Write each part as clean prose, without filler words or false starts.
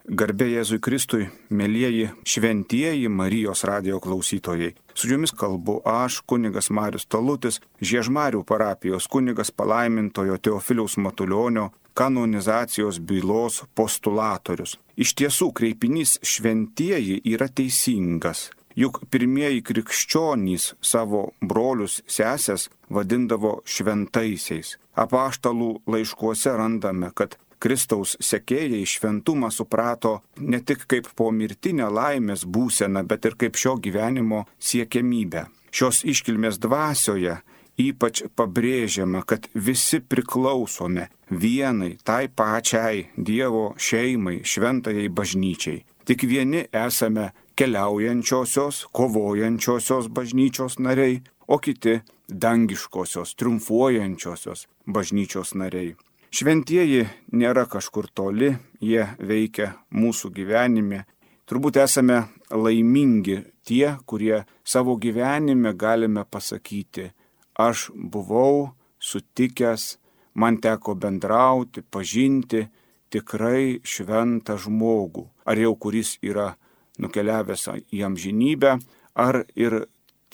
Garbė Jėzui Kristui, mielieji šventieji Marijos radijo klausytojai. Su jumis kalbu aš, kunigas Marius Talutis, Žiežmarių parapijos kunigas palaimintojo Teofiliaus Matulionio kanonizacijos bylos postulatorius. Iš tiesų, kreipinys šventieji yra teisingas. Juk pirmieji krikščionys savo brolius sesės vadindavo šventaisiais. Apaštalų laiškuose randame, kad Kristaus sekėjai šventumą suprato ne tik kaip pomirtinę laimės būseną, bet ir kaip šio gyvenimo siekiamybę. Šios iškilmės dvasioje ypač pabrėžiama, kad visi priklausome vienai, tai pačiai Dievo šeimai, šventajai bažnyčiai. Tik vieni esame keliaujančiosios, kovojančiosios bažnyčios nariai, o kiti dangiškosios, triumfuojančiosios bažnyčios nariai. Šventieji nėra kažkur toli, jie veikia mūsų gyvenime. Turbūt esame laimingi tie, kurie savo gyvenime galime pasakyti, aš buvau sutikęs, man teko bendrauti, pažinti tikrai šventą žmogų. Ar jau kuris yra nukeliavęs į amžinybę, ar ir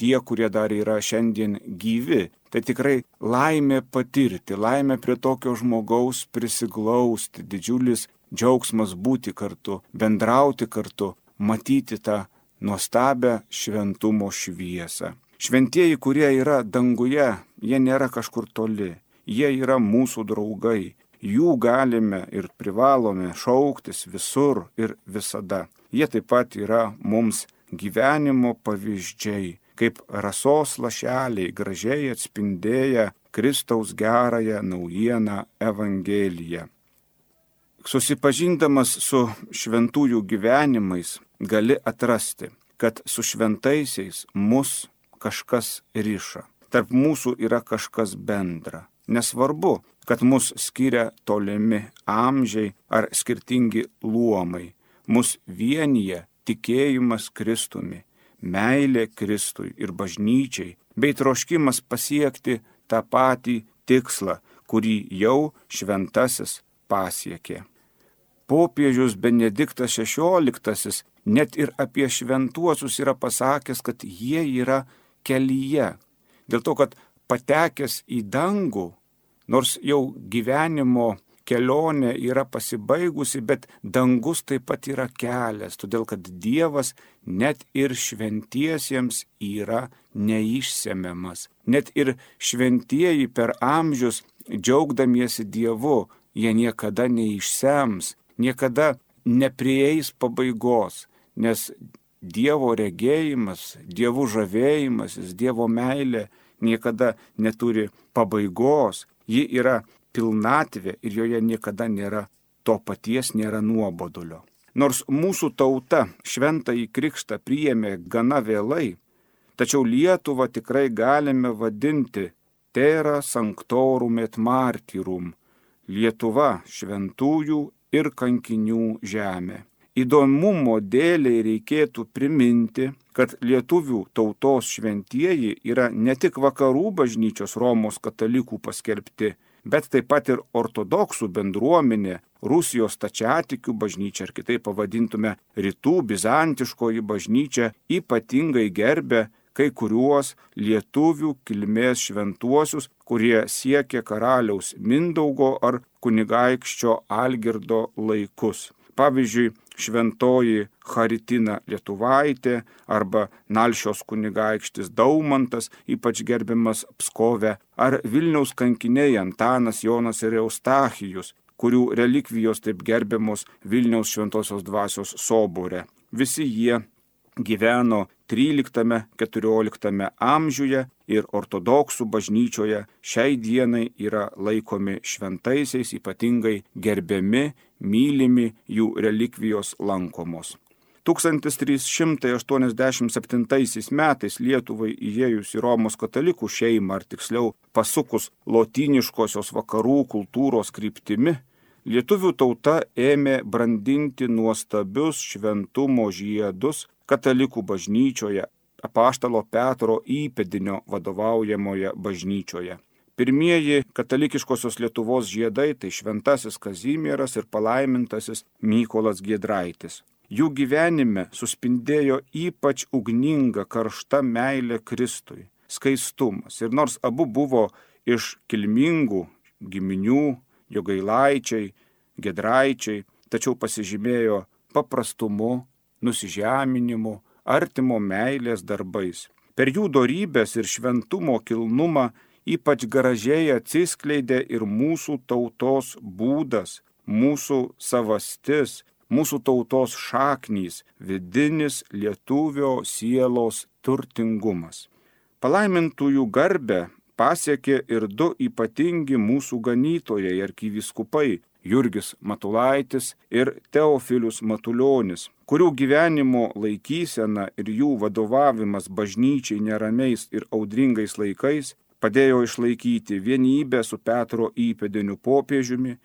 tie, kurie dar yra šiandien gyvi. Tai tikrai laimė patirti, laimė prie tokio žmogaus prisiglausti, didžiulis džiaugsmas būti kartu, bendrauti kartu, matyti tą nuostabią šventumo šviesą. Šventieji, kurie yra danguje, jie nėra kažkur toli, jie yra mūsų draugai, jų galime ir privalome šauktis visur ir visada. Jie taip pat yra mums gyvenimo pavyzdžiai, kaip rasos lašeliai gražiai atspindėję Kristaus gerąją naujieną Evangeliją. Susipažindamas su šventųjų gyvenimais, gali atrasti, kad su šventaisiais mus kažkas riša. Tarp mūsų yra kažkas bendra. Nesvarbu, kad mus skiria tolimi amžiai ar skirtingi luomai. Mus vienyje tikėjimas Kristumi, meilė Kristui ir bažnyčiai, bei troškimas pasiekti tą patį tikslą, kurį jau šventasis pasiekė. Popiežius Benediktas XVI net ir apie šventuosius yra pasakęs, kad jie yra kelyje. Dėl to, kad patekęs į dangų, nors jau gyvenimo kelionė yra pasibaigusi, bet dangus taip pat yra kelias, todėl kad Dievas net ir šventiesiems yra neišsemiamas. Net ir šventieji per amžius, džiaugdamiesi Dievu, jie niekada neišsems, niekada neprieis pabaigos, nes Dievo regėjimas, Dievo žavėjimasis, Dievo meilė niekada neturi pabaigos, ji yra pilnatvė ir joje niekada nėra to paties, nėra nuobodulio. Nors mūsų tauta šventąjį krikštą priėmė gana vėlai, tačiau Lietuvą tikrai galime vadinti terra sanctorum et martyrum, Lietuva šventųjų ir kankinių žemė. Įdomumo dėliai reikėtų priminti, kad lietuvių tautos šventieji yra ne tik vakarų bažnyčios Romos katalikų paskelbti, bet taip pat ir ortodoksų bendruomenė, Rusijos stačiatikių bažnyčia, ar kitaip pavadintume rytų bizantiškoji bažnyčia, ypatingai gerbė kai kuriuos lietuvių kilmės šventuosius, kurie siekė karaliaus Mindaugo ar kunigaikščio Algirdo laikus. Pavyzdžiui, šventoji Charitina Lietuvaitė arba Nalšios kunigaikštis Daumantas, ypač gerbiamas Pskove, ar Vilniaus kankiniai Antanas, Jonas ir Eustachijus, kurių relikvijos taip gerbiamos Vilniaus šventosios dvasios sobore. Visi jie gyveno 13-14 amžiuje ir ortodoksų bažnyčioje šiai dienai yra laikomi šventaisiais, ypatingai gerbiami, mylimi, jų relikvijos lankomos. 1387 metais Lietuvai įėjus į Romos katalikų šeimą, ar tiksliau pasukus lotyniškosios vakarų kultūros kryptimi, lietuvių tauta ėmė brandinti nuostabius šventumo žiedus katalikų bažnyčioje, apaštalo Petro įpėdinio vadovaujamoje bažnyčioje. Pirmieji katalikiškosios Lietuvos žiedai tai šventasis Kazimieras ir palaimintasis Mykolas Giedraitis. Jų gyvenime suspindėjo ypač ugninga karšta meilė Kristui, skaistumas. Ir nors abu buvo iš kilmingų giminių, Jogailaičiai, Giedraičiai, tačiau pasižymėjo paprastumu, nusižeminimu, artimo meilės darbais. Per jų dorybės ir šventumo kilnumą ypač gražiai atsiskleidė ir mūsų tautos būdas, mūsų savastis, mūsų tautos šaknys, vidinis lietuvio sielos turtingumas. Palaimintųjų garbę pasiekė ir du ypatingi mūsų ganytojai arkivyskupai Jurgis Matulaitis ir Teofilius Matulionis, kurių gyvenimo laikysena ir jų vadovavimas bažnyčiai neramiais ir audringais laikais padėjo išlaikyti vienybę su Petro įpėdiniu popiežiumi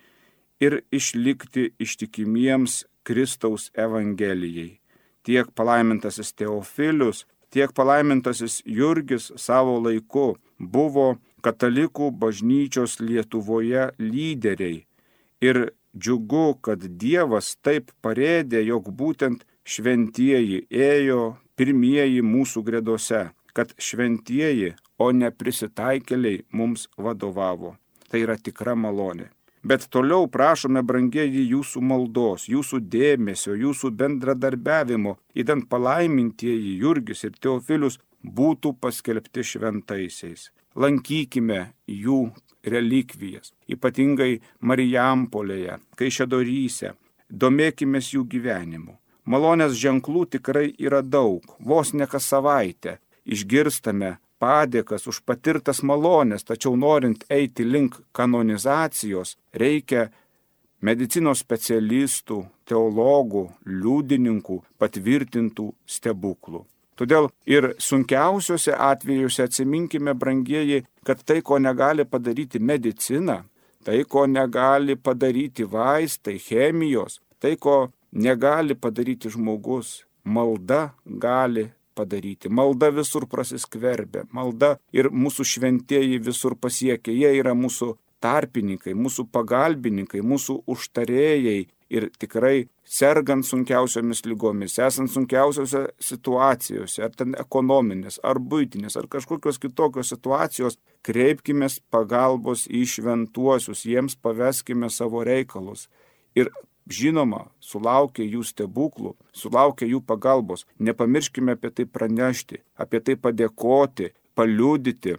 ir išlikti ištikimiems Kristaus Evangelijai. Tiek palaimintasis Teofilius, tiek palaimintasis Jurgis savo laiku buvo katalikų bažnyčios Lietuvoje lyderiai. Ir džiugu, kad Dievas taip parėdė, jog būtent šventieji ėjo pirmieji mūsų gredose, kad šventieji, o ne prisitaikėliai mums vadovavo. Tai yra tikra malonė. Bet toliau prašome, brangieji, jūsų maldos, jūsų dėmesio, jūsų bendradarbiavimo, idant palaimintieji Jurgis ir Teofilius būtų paskelbti šventaisiais. Lankykime jų relikvijas, ypatingai Marijampolėje, Kaišiadoryse, domėkimės jų gyvenimu. Malonės ženklų tikrai yra daug, vos ne kas savaitę išgirstame padėkas už patirtas malonės, tačiau norint eiti link kanonizacijos, reikia medicinos specialistų, teologų, liudininkų patvirtintų stebuklų. Todėl ir sunkiausiuose atvejuose atsiminkime, brangieji, kad tai, ko negali padaryti medicina, tai, ko negali padaryti vaistai, chemijos, tai, ko negali padaryti žmogus, malda gali padaryti. Malda visur prasiskverbia, malda ir mūsų šventieji visur pasiekia. Jie yra mūsų tarpininkai, mūsų pagalbininkai, mūsų užtarėjai. Ir tikrai sergant sunkiausiomis lygomis, esant sunkiausiose situacijose, ar ten ekonominės, ar buitinės, ar kažkokios kitokios situacijos, kreipkime pagalbos į šventuosius, jiems paveskime savo reikalus. Ir žinoma, sulaukia jų stebuklų, sulaukia jų pagalbos. Nepamirškime apie tai pranešti, apie tai padėkoti, paliudyti.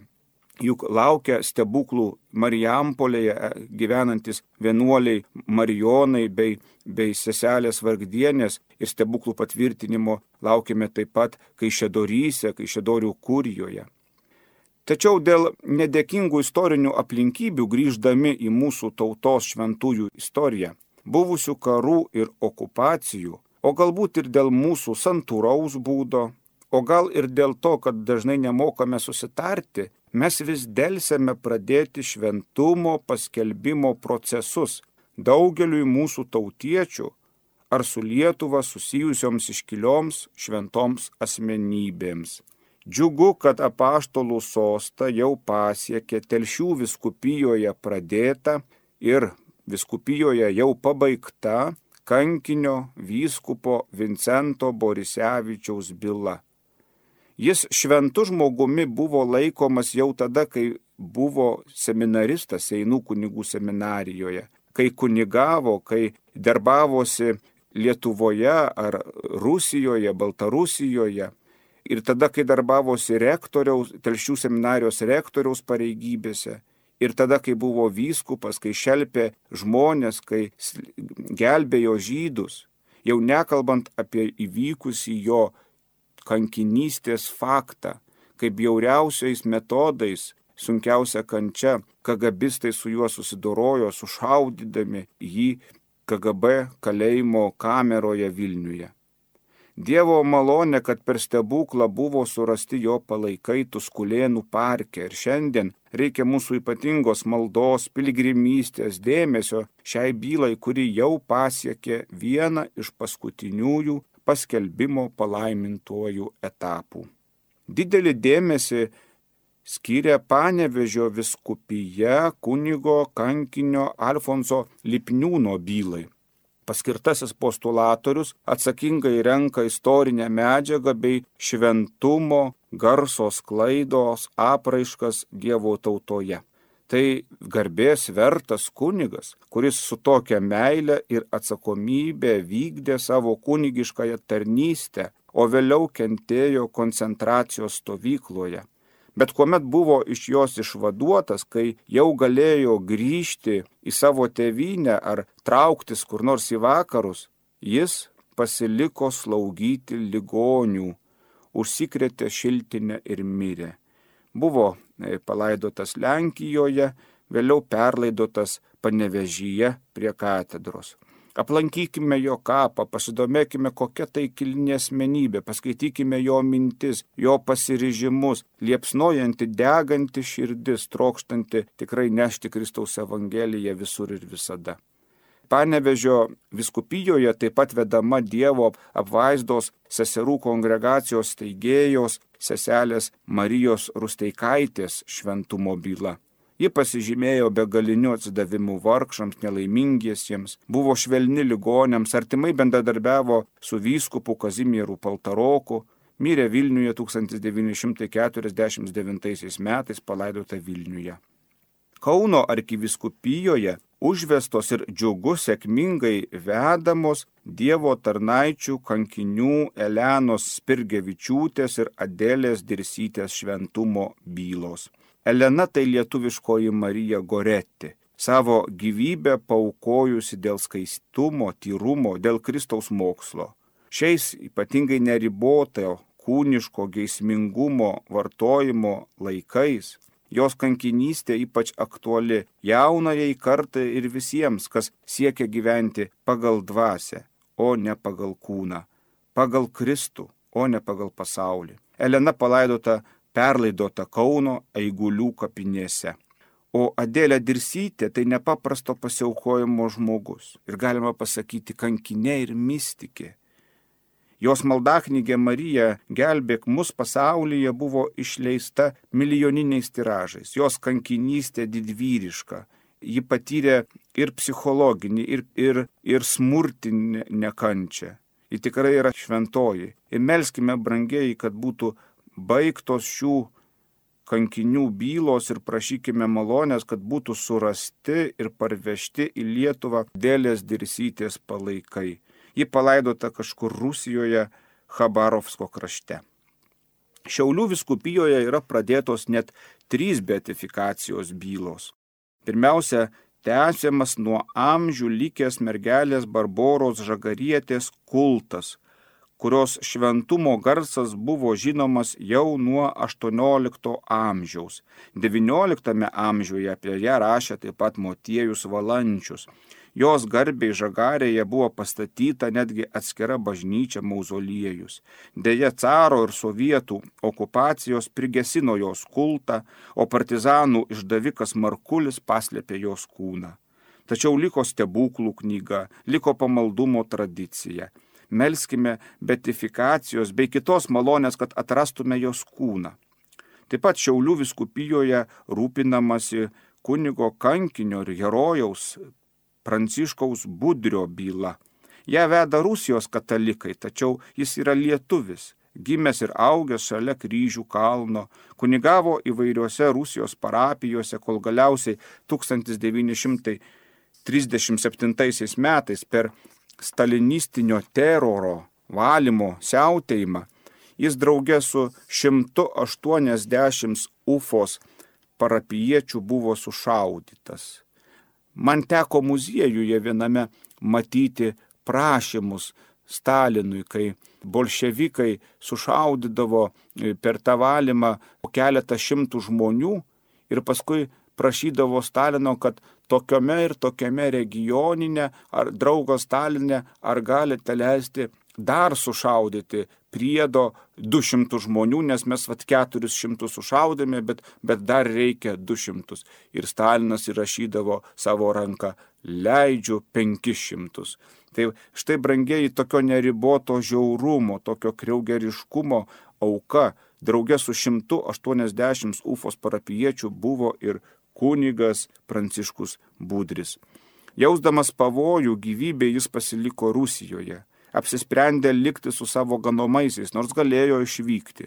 Juk laukia stebuklų Marijampolėje gyvenantis vienuoliai Marijonai bei seselės Vargdienės ir stebuklų patvirtinimo laukime taip pat Kaišiadoryse, Kaišiadorių kurijoje. Tačiau dėl nedėkingų istorinių aplinkybių grįždami į mūsų tautos šventųjų istoriją, buvusių karų ir okupacijų, o galbūt ir dėl mūsų santūraus būdo, o gal ir dėl to, kad dažnai nemokame susitarti, mes vis delsėme pradėti šventumo paskelbimo procesus daugeliui mūsų tautiečių ar su Lietuva susijusioms iškilioms šventoms asmenybėms. Džiugu, kad apaštalų sostą jau pasiekė Telšių vyskupijoje pradėta ir vyskupijoje jau pabaigta kankinio vyskupo Vincento Borisevičiaus byla. Jis šventu žmogumi buvo laikomas jau tada, kai buvo seminaristas Seinų kunigų seminarijoje, kai kunigavo, kai darbavosi Lietuvoje ar Rusijoje, Baltarusijoje ir tada, kai darbavosi Telšių seminarijos rektoriaus pareigybėse ir tada, kai buvo vyskupas, kai šelpė žmonės, kai gelbėjo žydus, jau nekalbant apie įvykusį jo kankinystės faktą, kaip bjauriausiais metodais, sunkiausia kančia, KGBistai su juo susidorojo, sušaudydami jį KGB kalėjimo kameroje Vilniuje. Dievo malonė, kad per stebuklą buvo surasti jo palaikai Tuskulėnų parke ir šiandien reikia mūsų ypatingos maldos, piligrimystės, dėmesio šiai bylai, kuri jau pasiekė vieną iš paskutiniųjų paskelbimo palaimintuojų etapų. Didelį dėmesį skyrė Panevėžio vyskupija kunigo kankinio Alfonso Lipniūno bylai. Paskirtasis postulatorius atsakingai renka istorinę medžiagą bei šventumo, garso sklaidos apraiškas Dievo tautoje. Tai garbės vertas kunigas, kuris su tokia meile ir atsakomybė vykdė savo kunigiškąją tarnystę, o vėliau kentėjo koncentracijos stovykloje. Bet kuomet buvo iš jos išvaduotas, kai jau galėjo grįžti į savo tėvynę ar trauktis kur nors į vakarus, jis pasiliko slaugyti ligonių, užsikrėtė šiltinę ir mirė. Buvo palaidotas Lenkijoje, vėliau perlaidotas Panevėžyje prie katedros. Aplankykime jo kapą, pasidomėkime, kokia tai kilni asmenybė, paskaitykime jo mintis, jo pasiryžimus, liepsnojanti, deganti širdis, trokštanti tikrai nešti Kristaus evangeliją visur ir visada. Panevėžio vyskupijoje taip pat vedama Dievo apvaizdos seserų kongregacijos steigėjos seselės Marijos Rusteikaitės šventumo byla. Ji pasižymėjo begaliniu atsidavimu vargšams, nelaimingiesiems, buvo švelni ligoniams, artimai bendradarbiavo su vyskupu Kazimieru Paltaroku, mirė Vilniuje 1949 metais, palaidota Vilniuje. Kauno arkivyskupijoje užvestos ir džiugu sėkmingai vedamos Dievo tarnaičių kankinių Elenos Spirgevičiūtės ir Adelės Dirsytės šventumo bylos. Elena tai lietuviškoji Marija Goretti, savo gyvybę paaukojusi dėl skaistumo, tyrumo, dėl Kristaus mokslo. Šiais ypatingai neriboto kūniško geismingumo vartojimo laikais jos kankinystė ypač aktuali jaunajai kartai ir visiems, kas siekia gyventi pagal dvasią, o ne pagal kūną, pagal Kristų, o ne pagal pasaulį. Elena perlaidota Kauno Eigulių kapinėse. O Adelė Dirsytė tai nepaprasto pasiaukojimo žmogus. Ir galima pasakyti kankinė ir mystikė. Jos maldaknygė Marija gelbėk mus pasaulyje buvo išleista milijoniniais tiražais. Jos kankinystė didvyriška. Ji patyrė ir psichologinį, ir smurtinę nekančią. Ji tikrai yra šventoji. Ir melskime brangieji, kad būtų baigtos šių kankinių bylos ir prašykime malonės, kad būtų surasti ir parvežti į Lietuvą Adelės Dirsytės palaikai. Ji palaidota kažkur Rusijoje, Chabarovsko krašte. Šiaulių vyskupijoje yra pradėtos net 3 beatifikacijos bylos. Pirmiausia, tęsiamas nuo amžių likęs mergelės Barboros Žagarietės kultas, kurios šventumo garsas buvo žinomas jau nuo 18 amžiaus. 19 amžiuje apie ją rašė taip pat Motiejus Valančius. Jos garbei Žagarėje buvo pastatyta netgi atskira bažnyčia mauzoliejus. Deja, caro ir sovietų okupacijos prigesino jos kultą, o partizanų išdavikas Markulis paslėpė jos kūną. Tačiau liko stebuklų knyga, liko pamaldumo tradicija. Melskime beatifikacijos bei kitos malonės, kad atrastume jos kūną. Taip pat Šiaulių vyskupijoje rūpinamasi kunigo kankinio ir herojaus Pranciškaus Budrio byla. Ją veda Rusijos katalikai, tačiau jis yra lietuvis, gimęs ir augęs šalia Kryžių kalno, kunigavo įvairiuose Rusijos parapijose, kol galiausiai 1937 metais per stalinistinio teroro valymo siautėjimą jis draugė su 180 Ufos parapijiečių buvo sušaudytas. Man teko muziejuje viename matyti prašymus Stalinui, kai bolševikai sušaudydavo per tą valymą keletą šimtų žmonių ir paskui prašydavo Stalino, kad tokiame ir tokiame regioninė ar draugo Stalinė, ar galite leisti dar sušaudyti priedo 200 žmonių, nes mes 400 sušaudėme, bet dar reikia 200. Ir Stalinas įrašydavo savo ranką, leidžiu 500. Tai štai, brangieji, tokio neriboto žiaurumo, tokio kriaugeriškumo auka. Drauge su 180 Ufos parapijiečių buvo ir kunigas Pranciškus Budris. Jausdamas pavojų gyvybei jis pasiliko Rusijoje. Apsisprendė likti su savo ganomaisiais, nors galėjo išvykti.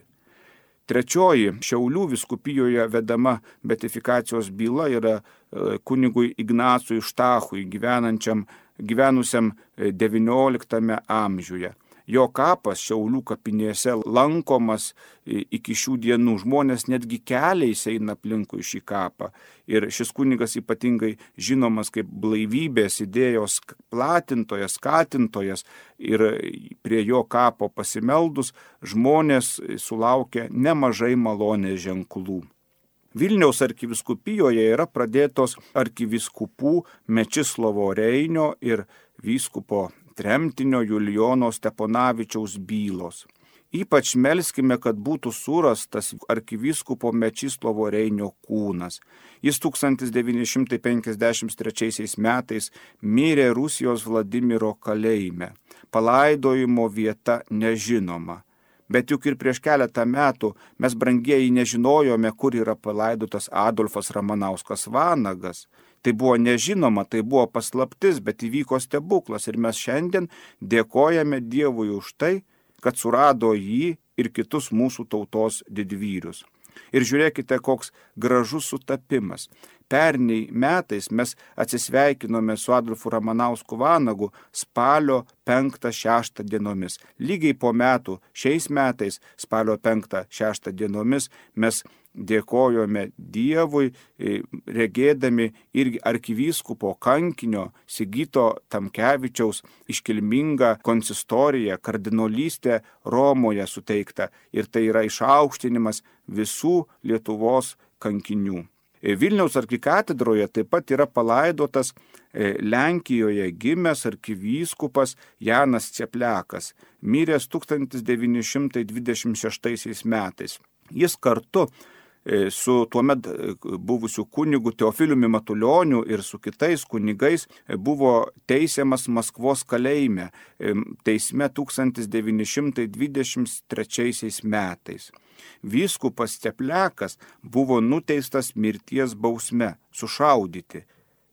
Trečioji Šiaulių vyskupijoje vedama beatifikacijos byla yra kunigui Ignacui Štachui, gyvenusiam XIX amžiuje. Jo kapas Šiaulių kapinėse lankomas iki šių dienų. Žmonės netgi keliais eina aplinkui šį kapą. Ir šis kunigas ypatingai žinomas kaip blaivybės idėjos platintojas, skatintojas. Ir prie jo kapo pasimeldus žmonės sulaukia nemažai malonės ženklų. Vilniaus arkivyskupijoje yra pradėtos arkivyskupų Mečislovo Reinio ir vyskupo tremtinio Julijono Steponavičiaus bylos. Ypač melskime, kad būtų surastas arkivyskupo Mečislovo Reinio kūnas. Jis 1953 metais mirė Rusijos Vladimiro kalėjime. Palaidojimo vieta nežinoma. Bet juk ir prieš keletą metų mes, brangieji, nežinojome, kur yra palaidotas Adolfas Ramanauskas Vanagas. Tai buvo nežinoma, tai buvo paslaptis, bet įvyko stebuklas ir mes šiandien dėkojame Dievui už tai, kad surado jį ir kitus mūsų tautos didvyrius. Ir žiūrėkite, koks gražus sutapimas. Pernai metais mes atsisveikinome su Adolfu Ramanausku Vanagu spalio 5-6 dienomis. Lygiai po metų šiais metais spalio 5-6 dienomis mes dėkojome Dievui, regėdami irgi arkivyskupo kankinio Sigito Tamkevičiaus iškilmingą konsistoriją, kardinolystę Romoje suteikta. Ir tai yra išaukštinimas visų Lietuvos kankinių. Vilniaus arkikatedroje taip pat yra palaidotas Lenkijoje gimęs arkivyskupas Janas Cepliakas, miręs 1926 metais. Jis kartu su tuomet buvusiu kunigu Teofiliumi Matulioniu ir su kitais kunigais buvo teisiamas Maskvos kalėjime, teisme 1923 metais. Vyskupas Cepliakas buvo nuteistas mirties bausme, sušaudyti.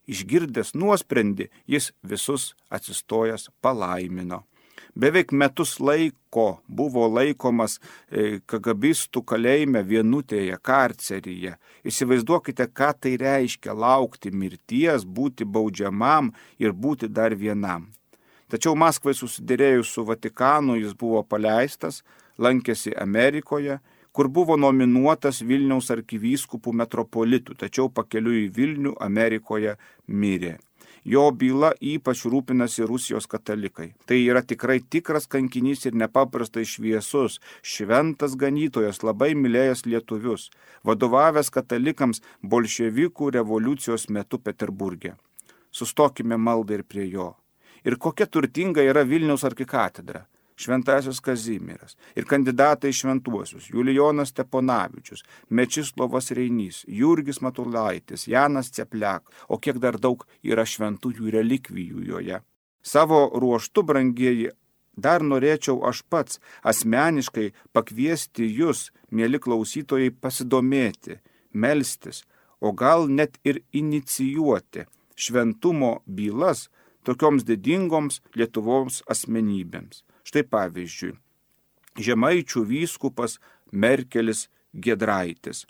Išgirdęs nuosprendį, jis visus atsistojęs palaimino. Beveik metus laiko buvo laikomas kagabistų kalėjime Vienutėje, karceryje. Įsivaizduokite, ką tai reiškia laukti mirties, būti baudžiamam ir būti dar vienam. Tačiau Maskvai susiderėjus su Vatikanu jis buvo paleistas, lankėsi Amerikoje, kur buvo nominuotas Vilniaus arkivyskupų metropolitų, tačiau pakeliui į Vilnių Amerikoje mirė. Jo byla ypač rūpinasi Rusijos katalikai. Tai yra tikrai tikras kankinys ir nepaprastai šviesus, šventas ganytojas, labai mylėjęs lietuvius, vadovavęs katalikams bolševikų revoliucijos metu Peterburge. Sustokime maldai ir prie jo. Ir kokia turtinga yra Vilniaus arkikatedra. Šventasis Kazimieras ir kandidatai šventuosius Julijonas Steponavičius, Mečislovas Reinys, Jurgis Matulaitis, Janas Cepliak, o kiek dar daug yra šventųjų relikvijų joje. Savo ruoštu, brangieji, dar norėčiau aš pats asmeniškai pakviesti jūs, mieli klausytojai, pasidomėti, melstis, o gal net ir inicijuoti šventumo bylas tokioms didingoms Lietuvos asmenybėms. Štai pavyzdžiui, Žemaičių vyskupas Merkelis Giedraitis,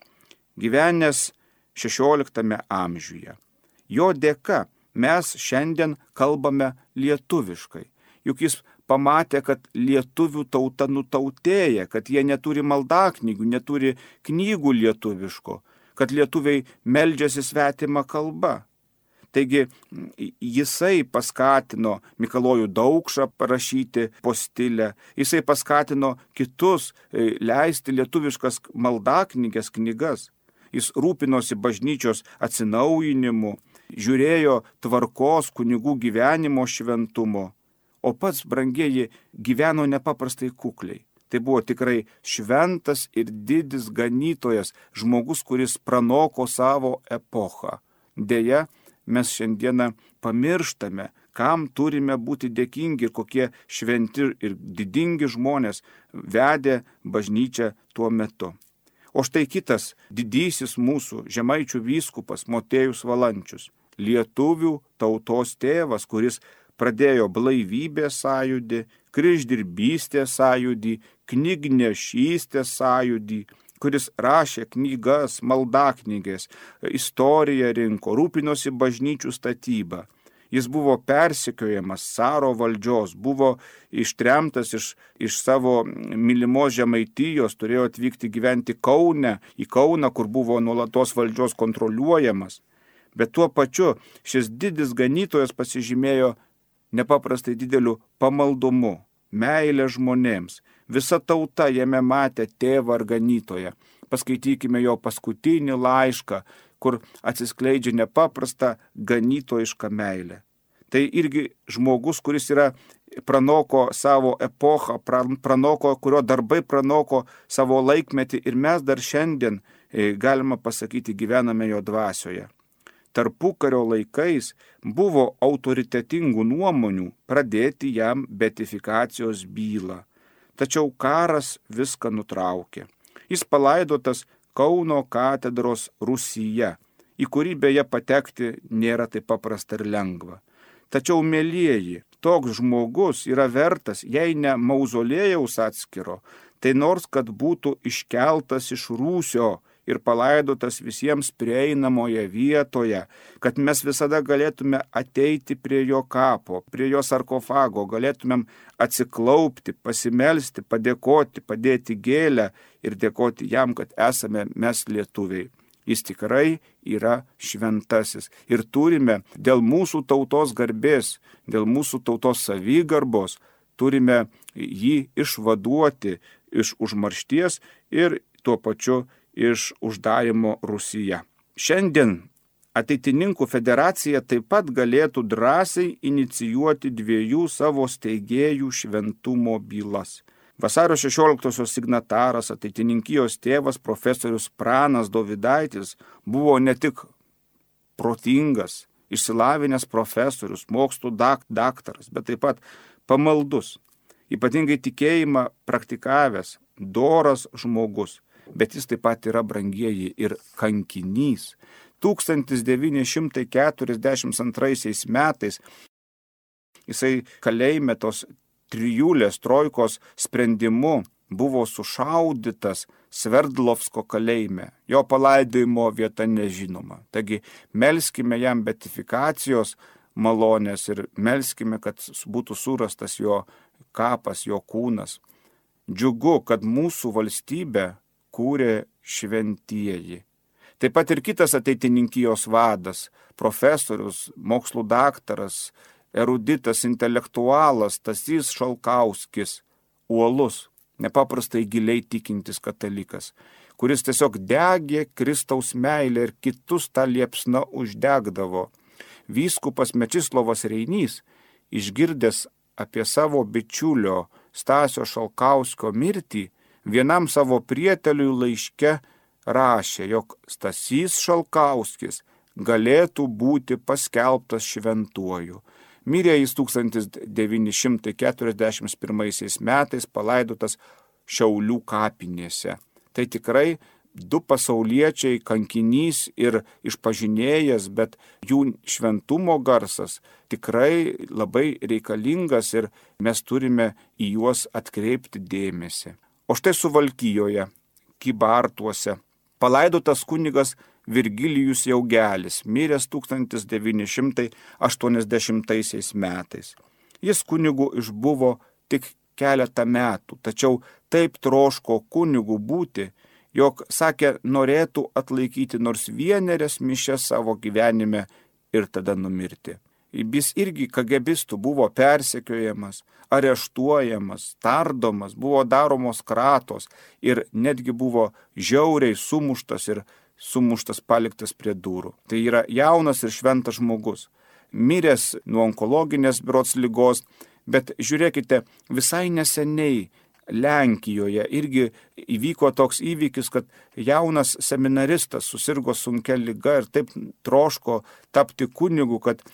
gyvenęs XVI amžiuje. Jo dėka mes šiandien kalbame lietuviškai, juk jis pamatė, kad lietuvių tauta nutautėja, kad jie neturi maldaknygių, neturi knygų lietuviško, kad lietuviai meldžiasi svetimą kalbą. Taigi jisai paskatino Mikalojų Daukšą parašyti postilę, jisai paskatino kitus leisti lietuviškas maldaknyges knygas. Jis rūpinosi bažnyčios atsinaujinimu, žiūrėjo tvarkos kunigų gyvenimo šventumo, o pats, brangieji, gyveno nepaprastai kukliai. Tai buvo tikrai šventas ir didis ganytojas, žmogus, kuris pranoko savo epochą. Deja, mes šiandieną pamirštame, kam turime būti dėkingi ir kokie šventi ir didingi žmonės vedė bažnyčią tuo metu. O štai kitas didysis mūsų žemaičių vyskupas Motiejus Valančius, lietuvių tautos tėvas, kuris pradėjo blaivybės sąjūdį, kryždirbystės sąjūdį, knygnešystės sąjūdį, kuris rašė knygas, maldaknygės, istoriją rinko, rūpinosi bažnyčių statybą. Jis buvo persekiojamas caro valdžios, buvo ištremtas iš savo mylimos Žemaitijos, turėjo atvykti gyventi į Kauną, kur buvo nuolatos valdžios kontroliuojamas. Bet tuo pačiu šis didis ganytojas pasižymėjo nepaprastai dideliu pamaldumu, meilė žmonėms. Visa tauta jame matė tėvą ar ganytoją. Paskaitykime jo paskutinį laišką, kur atsiskleidžia nepaprasta ganytojiška meilė. Tai irgi žmogus, kuris pranoko savo epochą, kurio darbai pranoko savo laikmetį ir mes dar šiandien, galima pasakyti, gyvename jo dvasioje. Tarpukario laikais buvo autoritetingų nuomonių pradėti jam beatifikacijos bylą. Tačiau karas viską nutraukė. Jis palaidotas Kauno katedros rūsyje, į kurį beje patekti nėra taip paprasta ir lengva. Tačiau, mielieji, toks žmogus yra vertas, jei ne mauzolėjaus atskiro, tai nors kad būtų iškeltas iš rūsio ir palaidotas visiems prieinamoje vietoje, kad mes visada galėtume ateiti prie jo kapo, prie jo sarkofago, galėtumėm atsiklaupti, pasimelsti, padėkoti, padėti gėlę ir dėkoti jam, kad esame mes lietuviai. Jis tikrai yra šventasis ir turime dėl mūsų tautos garbės, dėl mūsų tautos savigarbos, turime jį išvaduoti iš užmaršties ir tuo pačiu iš uždarimo Rusiją. Šiandien Ateitininkų federacija taip pat galėtų drąsiai inicijuoti 2 savo steigėjų šventumo bylas. Vasario 16-osios signataras, ateitininkijos tėvas profesorius Pranas Dovydaitis buvo ne tik protingas, išsilavinęs profesorius, mokslų daktaras, bet taip pat pamaldus, ypatingai tikėjimą praktikavęs, doras žmogus. Bet jis taip pat yra, brangieji, ir kankinys. 1942 metais jisai kalėjime tos trijulės trojkos sprendimu buvo sušaudytas Sverdlovsko kalėjime. Jo palaidojimo vieta nežinoma. Taigi melskime jam beatifikacijos malonės ir melskime, kad būtų surastas jo kapas, jo kūnas. Džiugu, kad mūsų valstybę kūrė šventieji. Taip pat ir kitas ateitininkijos vadas, profesorius, mokslų daktaras, eruditas, intelektualas Stasys Šalkauskis, uolus, nepaprastai giliai tikintis katalikas, kuris tiesiog degė Kristaus meilę ir kitus tą liepsną uždegdavo. Vyskupas Mečislovas Reinys, išgirdęs apie savo bičiulio Stasio Šalkauskio mirtį, vienam savo prieteliui laiške rašė, jog Stasys Šalkauskis galėtų būti paskelbtas šventuoju. Mirė jis 1941 metais palaidotas Šiaulių kapinėse. Tai tikrai 2 pasauliečiai, kankinys ir išpažinėjas, bet jų šventumo garsas tikrai labai reikalingas ir mes turime į juos atkreipti dėmesį. O štai Suvalkijoje, Kybartuose, palaidotas kunigas Virgilijus Jaugelis, miręs 1980 metais. Jis kunigu išbuvo tik keletą metų, tačiau taip troško kunigu būti, jog, sakė, norėtų atlaikyti nors 1 mišias savo gyvenime ir tada numirti. Jis irgi kagebistų buvo persekiojamas, areštuojamas, tardomas, buvo daromos kratos ir netgi buvo žiauriai sumuštas paliktas prie durų. Tai yra jaunas ir šventas žmogus, miręs nuo onkologinės berods ligos, bet žiūrėkite, visai neseniai Lenkijoje irgi įvyko toks įvykis, kad jaunas seminaristas susirgo sunkia liga ir taip troško tapti kunigu, kad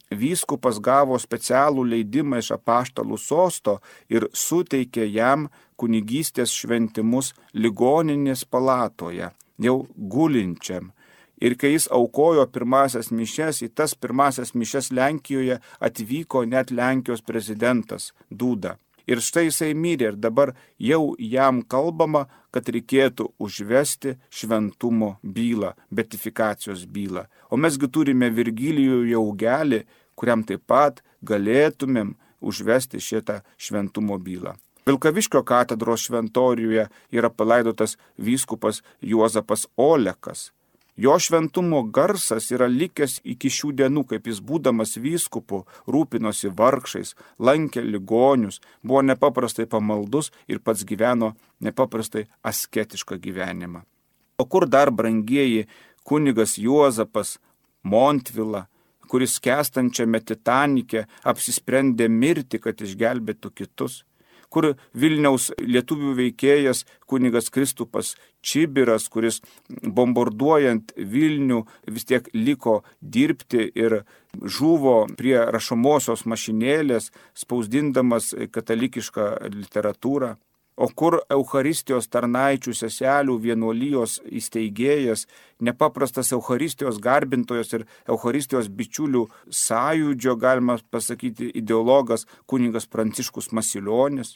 vyskupas gavo specialų leidimą iš apaštalų sosto ir suteikė jam kunigystės šventimus ligoninės palatoje, jau gulinčiam. Ir kai jis aukojo pirmasias mišias, į tas pirmasias mišias Lenkijoje atvyko net Lenkijos prezidentas Duda. Ir štai jisai mirė ir dabar jau jam kalbama, kad reikėtų užvesti šventumo bylą, beatifikacijos bylą. O mesgi turime Virgilijų Jaugelį, kuriam taip pat galėtumėm užvesti šitą šventumo bylą. Vilkaviškio katedros šventoriuje yra palaidotas vyskupas Juozapas Olekas. Jo šventumo garsas yra likęs iki šių dienų, kaip jis būdamas vyskupu rūpinosi vargšais, lankė ligonius, buvo nepaprastai pamaldus ir pats gyveno nepaprastai asketišką gyvenimą. O kur dar, brangieji, kunigas Juozapas Montvila, kuris skęstančiame Titanike apsisprendė mirti, kad išgelbėtų kitus? Kur Vilniaus lietuvių veikėjas kunigas Kristupas Čibiras, kuris bombarduojant Vilnių vis tiek liko dirbti ir žuvo prie rašomosios mašinėlės, spausdindamas katalikišką literatūrą. O kur Eucharistijos tarnaičių seselių vienuolijos įsteigėjas, nepaprastas Eucharistijos garbintojas ir Eucharistijos bičiulių sąjūdžio, galima pasakyti, ideologas kunigas Pranciškus Masilionis,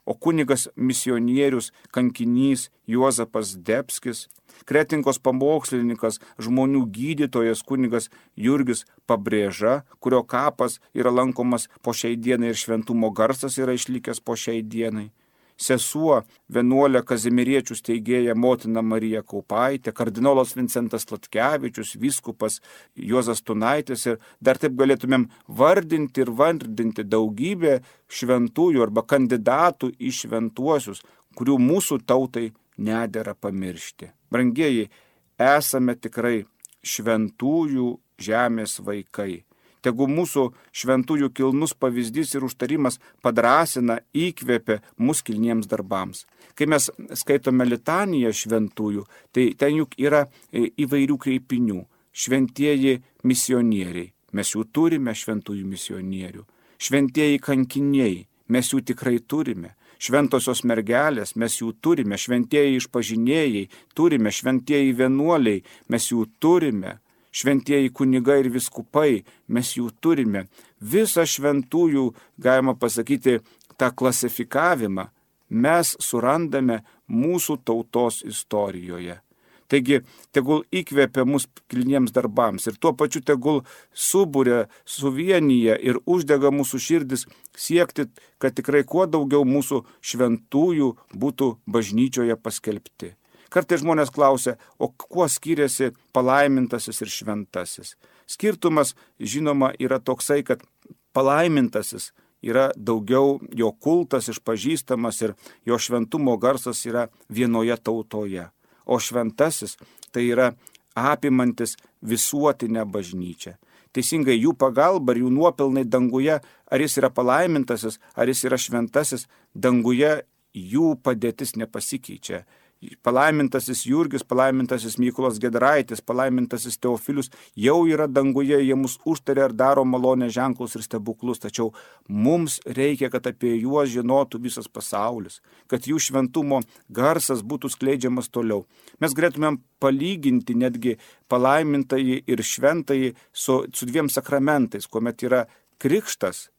o kunigas misionierius kankinys Juozapas Debskis, Kretinkos pamokslininkas, žmonių gydytojas kunigas Jurgis Pabrėža, kurio kapas yra lankomas po šiai dienai ir šventumo garsas yra išlikęs po šiai dienai. Sesuo vienuolė Kazimieriečių steigėja motina Marija Kaupaitė, kardinolas Vincentas Latkevičius, vyskupas Juozas Tunaitis ir dar taip galėtumėm vardinti ir vardinti daugybę šventųjų arba kandidatų į šventuosius, kurių mūsų tautai nedera pamiršti. Brangieji, esame tikrai šventųjų žemės vaikai. Tegu mūsų šventųjų kilnus pavyzdys ir užtarimas padrąsina, įkvepia mus kilniems darbams. Kai mes skaitome litaniją šventųjų, tai ten juk yra įvairių kreipinių. Šventieji misionieriai, mes jų turime šventųjų misionierių. Šventieji kankiniai, mes jų tikrai turime. Šventosios mergelės, mes jų turime. Šventieji išpažinėjai, turime. Šventieji vienuoliai, mes jų turime. Šventieji kunigai ir viskupai, mes jų turime. Visą šventųjų, galima pasakyti, tą klasifikavimą mes surandame mūsų tautos istorijoje. Taigi, tegul įkvepia mus kilniems darbams ir tuo pačiu tegul suburia, suvienyje ir uždega mūsų širdis siekti, kad tikrai kuo daugiau mūsų šventųjų būtų bažnyčioje paskelbti. Kartais žmonės klausia, o kuo skiriasi palaimintasis ir šventasis? Skirtumas, žinoma, yra toksai, kad palaimintasis yra daugiau jo kultas išpažįstamas ir jo šventumo garsas yra vienoje tautoje. O šventasis tai yra apimantis visuotinę bažnyčią. Teisingai jų pagalba ir jų nuopelnai danguje, ar jis yra palaimintasis, ar jis yra šventasis, danguje jų padėtis nepasikeičia. Palaimintasis Jurgis, palaimintasis Mykolas Giedraitis, palaimintasis Teofilius jau yra danguje, jie mus užtaria ir daro malonę ženklus ir stebuklus, tačiau mums reikia, kad apie juos žinotų visas pasaulis, kad jų šventumo garsas būtų skleidžiamas toliau. Mes galėtumėm palyginti netgi palaimintąjį ir šventąjį su dviem sakramentais, kuomet yra krikštas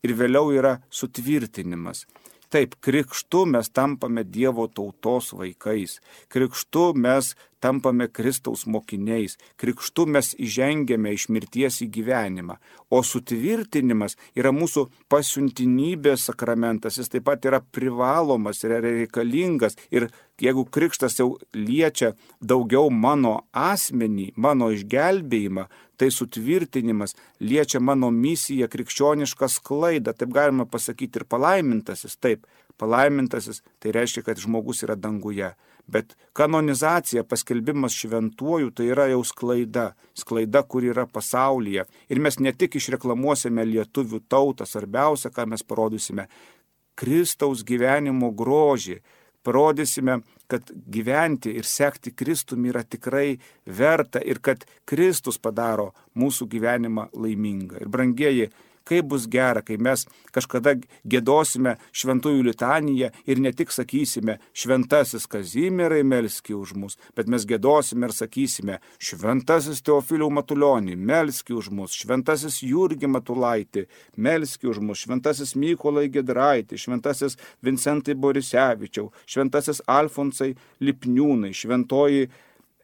ir vėliau yra sutvirtinimas. Taip, krikštu mes tampame Dievo tautos vaikais, krikštu mes tampame Kristaus mokiniais, krikštu mes įžengiame iš mirties į gyvenimą, o sutvirtinimas yra mūsų pasiuntinybės sakramentas, jis taip pat yra privalomas, yra reikalingas ir jeigu krikštas jau liečia daugiau mano asmenį, mano išgelbėjimą, tai sutvirtinimas liečia mano misiją, krikščionišką sklaidą, taip galima pasakyti ir palaimintasis, taip, palaimintasis tai reiškia, kad žmogus yra danguje. Bet kanonizacija, paskelbimas šventuoju, tai yra jau sklaida, kur yra pasaulyje. Ir mes ne tik išreklamuosime lietuvių tautą, svarbiausia, ką mes parodysime, Kristaus gyvenimo grožį, parodysime, kad gyventi ir sekti Kristumi yra tikrai verta ir kad Kristus padaro mūsų gyvenimą laimingą. Ir brangieji, kaip bus gera, kai mes kažkada giedosime šventųjų litaniją ir ne tik sakysime šventasis Kazimierai melski už mus, bet mes giedosime ir sakysime šventasis Teofiliau Matulionį melski už mus, šventasis Jurgį Matulaitį melski už mus, šventasis Mykolai Giedraitį, šventasis Vincentai Borisevičiau, šventasis Alfonsai Lipniūnai, šventoji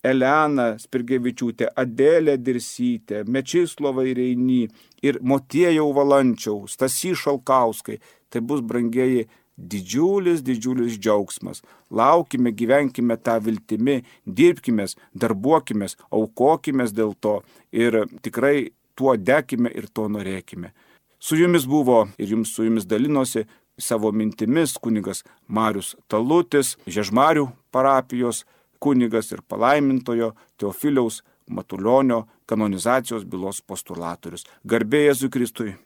Elena Spirgevičiūtė, Adelė Dirsytė, Mečislovai Reiny ir Motiejau Valančiau, Stasy Šalkauskai. Tai bus, brangieji, didžiulis džiaugsmas. Laukime, gyvenkime tą viltimi, dirbkime, darbuokime, aukokime dėl to ir tikrai tuo dekime ir to norėkime. Su jumis buvo ir su jumis dalinosi savo mintimis kunigas Marius Talutis, Žiežmarių parapijos kunigas ir palaimintojo Teofiliaus Matulionio kanonizacijos bylos postulatorius. Garbė Jėzui Kristui.